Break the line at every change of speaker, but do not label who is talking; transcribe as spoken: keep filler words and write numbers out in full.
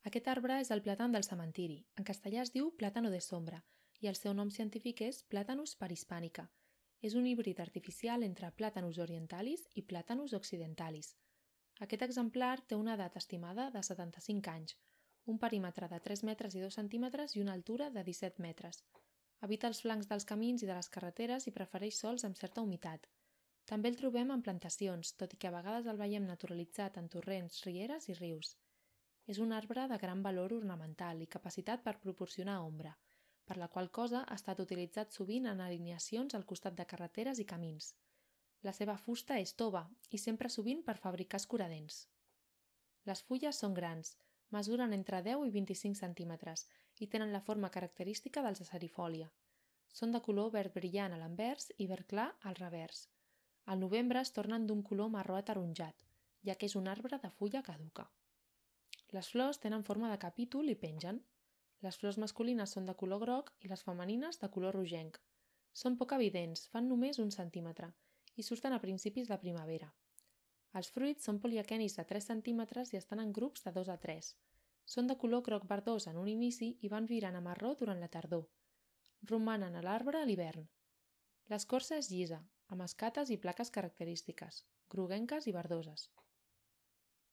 Aquest arbre és el plàtan del cementiri. En castellà es diu plátano de sombra i el seu nom científic és Platanus parhispanica. És un híbrid artificial entre Platanus orientalis i Platanus occidentalis. Aquest exemplar té una edat estimada de setanta-cinc anys, un perímetre de tres metres i dos centímetres i una altura de disset metres. Habita els flancs dels camins i de les carreteres i prefereix sòls amb certa humitat. També el trobem en plantacions, tot i que a vegades el veiem naturalitzat en torrents, rieres i rius. És un arbre de gran valor ornamental i capacitat per proporcionar ombra, per la qual cosa ha estat utilitzat sovint en alineacions al costat de carreteres i camins. La seva fusta és tova i s'empra sovint per fabricar escuradents. Les fulles són grans, mesuren entre deu i vint-i-cinc centímetres i tenen la forma característica dels acerifòlia. Són de color verd brillant a l'anvers i verd clar al revers. Al novembre es tornen d'un color marró ataronjat, ja que és un arbre de fulla caduca. Les flors tenen forma de capítol i pengen. Les flors masculines són de color groc i les femenines de color rogenc. Són poc evidents, fan només un centímetre i surten a principis de primavera. Els fruits són poliaquenis de tres centímetres i estan en grups de dos a tres. Són de color groc verdós en un inici i van virant a marró durant la tardor. Romanen a l'arbre a l'hivern. L'escorça és llisa, amb escates i plaques característiques, groguenques i verdoses.